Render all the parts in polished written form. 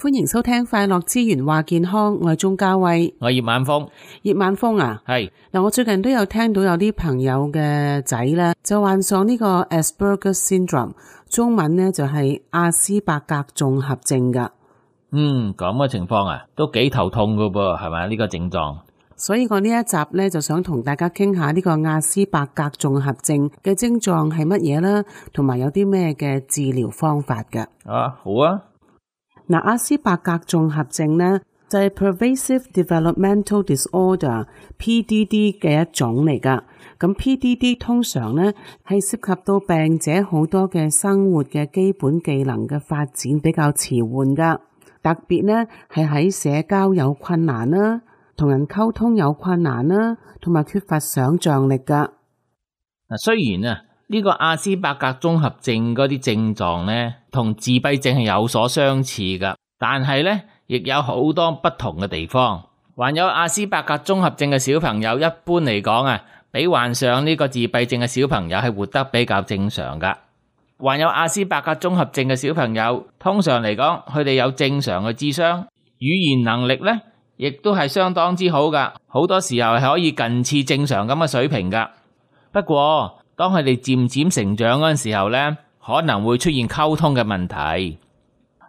歡迎收聽快樂之源話健康，我係鍾嘉慧，我係葉晚風。葉晚風啊，係嗱，我最近都有聽到有啲朋友嘅仔咧就患上呢個 Asperger syndrome， 中文咧就係亞斯伯格綜合症噶。咁嘅情況啊，都幾頭痛噶噃，係咪呢個症狀？所以我呢一集咧就想同大家傾下呢個亞斯伯格綜合症嘅症狀係乜嘢啦，同埋有啲咩嘅治療方法噶。好啊。嗱，亞斯伯格綜合症咧就係 Pervasive Developmental Disorder（PDD） 嘅一種嚟噶。咁 PDD 通常咧係涉及到病者好多嘅生活嘅基本技能嘅發展比較遲緩噶，特別咧係喺社交有困難啦，同人溝通有困難啦，同埋缺乏想像力噶。嗱，雖然啊呢個亞斯伯格綜合症嗰啲症狀咧同自閉症係有所相似噶，但係咧亦有好多不同嘅地方。患有亞斯伯格綜合症嘅小朋友一般嚟講啊，比患上呢個自閉症嘅小朋友係活得比較正常噶。患有亞斯伯格綜合症嘅小朋友通常嚟講，佢哋有正常嘅智商，語言能力咧亦都係相當之好噶，好多時候係可以近似正常咁嘅水平噶。不過當佢哋漸漸成長嗰陣時候咧，可能會出現溝通嘅問題。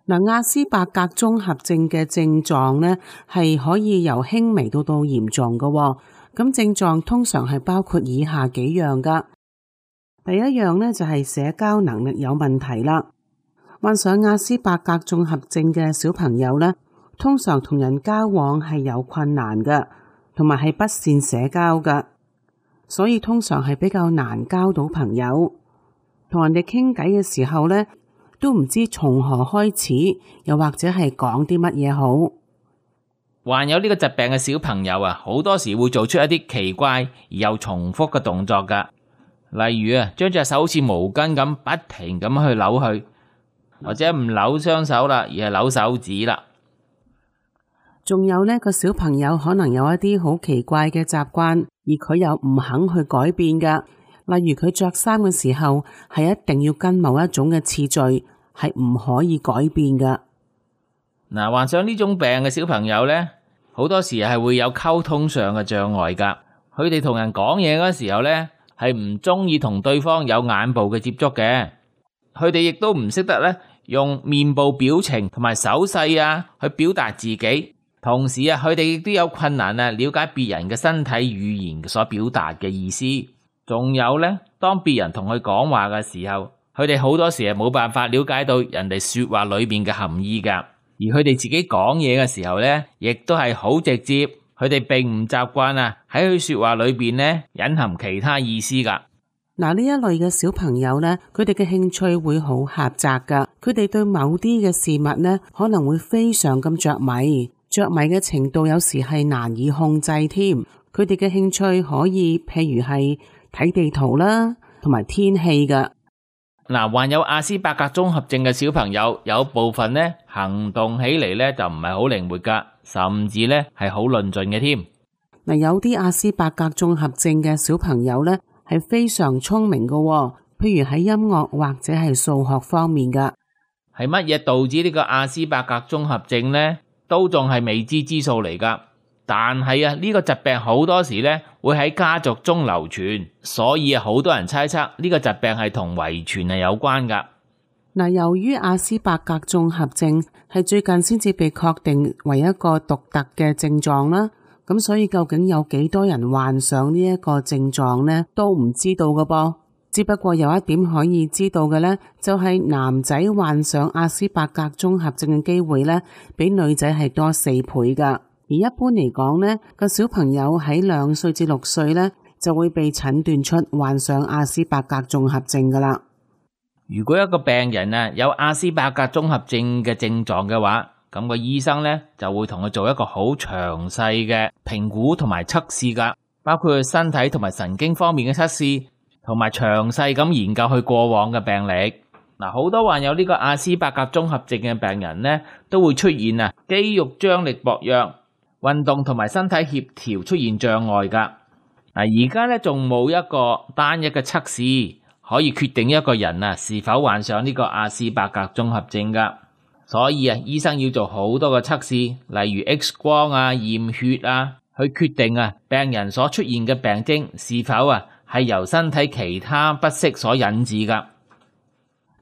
嗱，亞斯伯格綜合症嘅症狀咧係可以由輕微到嚴重噶。咁症狀通常係包括以下幾樣噶。第一樣咧就係社交能力有問題啦。患上亞斯伯格綜合症嘅小朋友咧，通常同人交往係有困難嘅，同埋係不善社交嘅，所以通常係比較難交到朋友。同人哋傾偈嘅時候咧，都唔知從何開始，又或者係講啲乜嘢好。患有呢個疾病嘅小朋友啊，好多時會做出一啲奇怪而又重複嘅動作噶，例如啊，將隻手好似毛巾咁不停咁去扭佢，或者唔扭雙手啦，而係扭手指啦。仲有呢個小朋友可能有一啲好奇怪嘅習慣，而佢又唔肯去改變噶。例如佢着衫嘅時候係一定要跟某一種嘅次序，係唔可以改變噶。嗱，患上呢種病嘅小朋友呢，好多時係會有溝通上嘅障礙噶。佢哋同人講嘢嗰時候呢，係唔中意同對方有眼部嘅接觸嘅。佢哋亦都唔識得呢用面部表情同埋手勢啊去表達自己。同時啊，佢哋亦都有困難啊了解別人嘅身體語言所表達嘅意思。仲有呢，當別人同佢講話嘅時候，佢哋好多時係冇辦法了解到人哋說話裏面嘅含義噶。而佢哋自己講嘢嘅時候呢，亦都係好直接，佢哋並唔習慣啊喺佢說話裏邊呢隱含其他意思噶。嗱，呢一類嘅小朋友呢，佢哋嘅興趣會好狹窄噶，佢哋對某啲嘅事物呢，可能會非常咁着迷嘅程度有時係難以控制添。佢哋嘅興趣可以譬如係睇地圖啦，同埋天氣噶。嗱，患有亞斯伯格綜合症嘅小朋友，有部分呢行動起嚟呢就唔係好靈活噶，甚至呢係好論盡嘅添。嗱，有啲亞斯伯格綜合症嘅小朋友呢係非常聰明噶，譬如喺音樂或者係數學方面噶。係乜嘢導致呢個亞斯伯格綜合症呢？都仲係未知之數嚟噶。但係啊，呢個疾病好多時呢會喺家族中流傳，所以啊，好多人猜測呢個疾病係同遺傳係有關噶。嗱，由於亞斯伯格綜合症係最近先至被確定為一個獨特嘅症狀啦，咁所以究竟有幾多人患上呢一個症狀呢，都唔知道噶噃。只不過有一點可以知道嘅呢，就係男仔患上亞斯伯格綜合症嘅機會呢，比女仔係多4倍噶。而一般嚟講呢，個小朋友喺2歲至6歲呢，就會被診斷出患上亞斯伯格綜合症噶啦。如果一個病人啊有亞斯伯格綜合症嘅症狀嘅話，咁個醫生呢就會同佢做一個好詳細嘅評估同埋測試噶，包括佢身體同埋神經方面嘅測試，同埋詳細咁研究佢過往嘅病歷。嗱，好多患有呢個亞斯伯格綜合症嘅病人呢，都會出現啊肌肉張力薄弱，運動同埋身體協調出現障礙噶。嗱，而家咧仲冇一個單一嘅測試可以決定一個人啊是否患上呢個亞斯伯格綜合症噶。所以醫生要做好多個測試，例如 X 光啊、驗血啊，去決定病人所出現嘅病徵是否係由身體其他不適所引致㗎。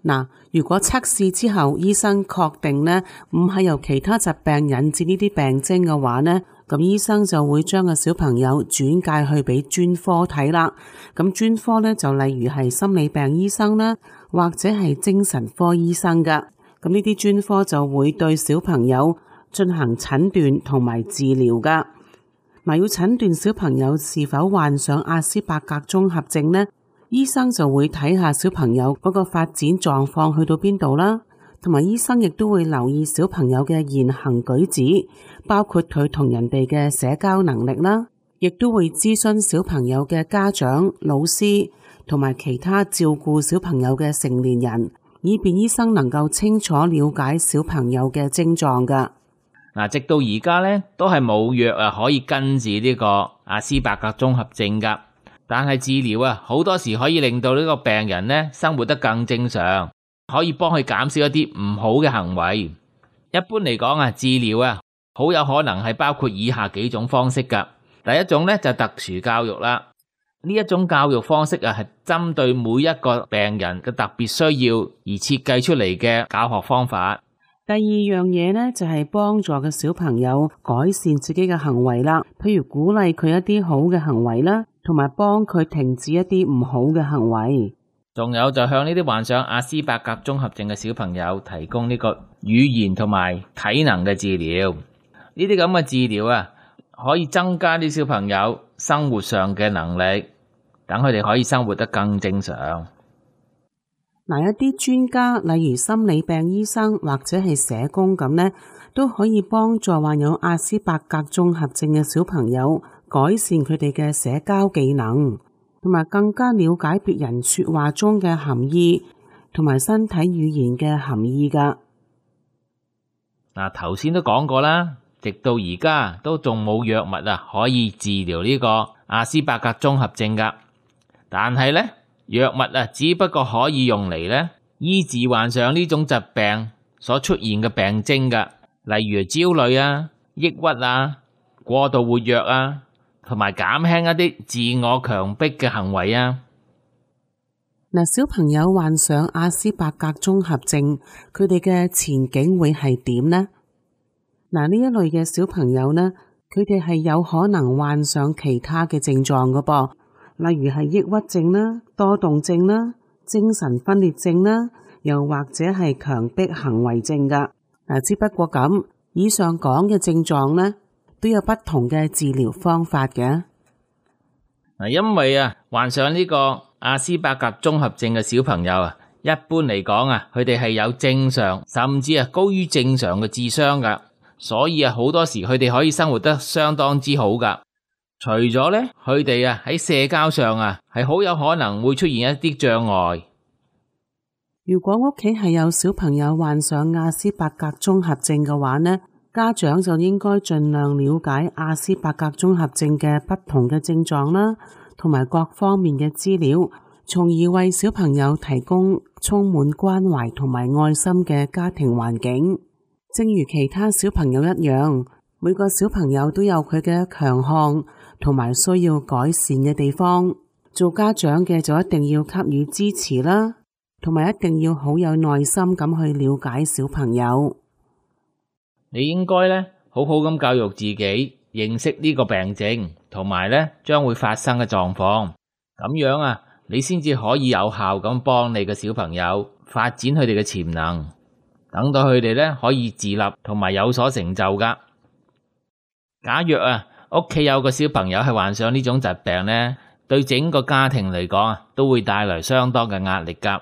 嗱，如果測試之後醫生確定呢唔係由其他疾病引致呢啲病徵嘅話呢，咁醫生就會將個小朋友轉介去俾專科睇啦。咁專科呢就例如係心理病醫生啦，或者係精神科醫生㗎。咁呢啲專科就會對小朋友進行診斷同埋治療㗎。嗱，要診斷小朋友是否患上亞斯伯格綜合症呢，醫生就會睇下小朋友嗰個發展狀況去到邊度啦，同埋醫生亦都會留意小朋友嘅言行舉止，包括佢同人哋嘅社交能力啦，亦都會諮詢小朋友嘅家長、老師同埋其他照顧小朋友嘅成年人，以便醫生能夠清楚了解小朋友嘅症狀㗎。嗱，直到而家咧都係冇藥可以根治呢個亞斯伯格綜合症㗎。但係治療好多時可以令到呢個病人呢生活得更正常，可以幫佢減少一啲唔好嘅行為。一般嚟講治療好有可能係包括以下幾種方式㗎。第一種呢就特殊教育啦，呢一種教育方式係針對每一個病人嘅特別需要而設計出嚟嘅教學方法。第二樣嘢呢，就係幫助嘅小朋友改善自己嘅行為啦，譬如鼓勵佢一啲好嘅行為啦，同埋幫佢停止一啲唔好嘅行為。仲有就向呢啲患上亞斯伯格綜合症嘅小朋友提供呢個語言同埋體能嘅治療。呢啲咁嘅治療可以增加啲小朋友生活上嘅能力，等佢哋可以生活得更正常。嗱，一啲專家，例如心理病醫生或者係社工咁呢，都可以幫助患有亞斯伯格綜合症嘅小朋友改善佢哋嘅社交技能，同埋更加了解別人說話中嘅含義，同埋身體語言嘅含義㗎。嗱，頭先都講過啦，直到而家都仲冇藥物可以治療呢個亞斯伯格綜合症㗎。但係呢，藥物只不過可以用嚟呢醫治患上呢種疾病所出現嘅病徵㗎，例如焦慮抑鬱過度活躍同埋減輕一啲自我強迫嘅行為嗱，小朋友患上亞斯伯格綜合症，佢哋嘅前景會係點呢？嗱，呢一類嘅小朋友呢，佢哋係有可能患上其他嘅症狀㗎噃。例如係抑鬱症啦、多動症啦、精神分裂症啦，又或者係強迫行為症㗎。只不過咁，以上講嘅症狀呢，都有不同嘅治療方法嘅。因為患上呢個亞斯伯格綜合症嘅小朋友一般嚟講佢哋係有正常甚至高於正常嘅智商㗎，所以好多時佢哋可以生活得相當之好㗎。除咗呢，佢哋喺社交上係好有可能會出現一啲障礙。如果屋企係有小朋友患上亞斯伯格綜合症嘅話呢，家長就應該盡量了解亞斯伯格綜合症嘅不同嘅症狀啦，同埋各方面嘅資料，從而為小朋友提供充滿關懷同埋愛心嘅家庭環境。正如其他小朋友一樣，每個小朋友都有佢嘅強項同埋需要改善嘅地方，做家長嘅就一定要給予支持啦，同埋一定要好有耐心咁去了解小朋友。你應該呢好好咁教育自己，認識呢個病症，同埋呢將會發生嘅狀況，咁樣你先至可以有效咁幫你嘅小朋友發展佢哋嘅潛能，等到佢哋呢可以自立同埋有所成就㗎。假若屋企有個小朋友係患上呢種疾病呢，對整個家庭嚟講都會帶來相當嘅壓力㗎。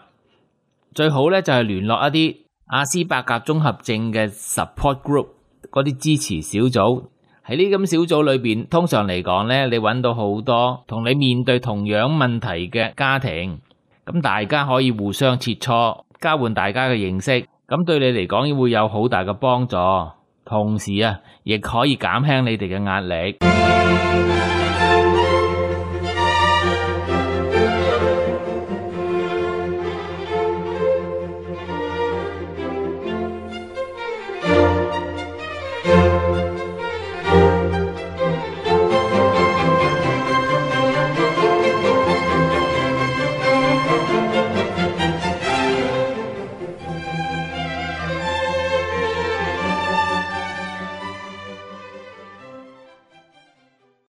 最好呢就係聯絡一啲亞斯伯格綜合症嘅 support group， 嗰啲支持小組。喺呢咁小組裏邊，通常嚟講呢，你揾到好多同你面對同樣問題嘅家庭，咁大家可以互相切磋，交換大家嘅認識，咁對你嚟講會有好大嘅幫助。同時亦可以減輕你哋嘅壓力。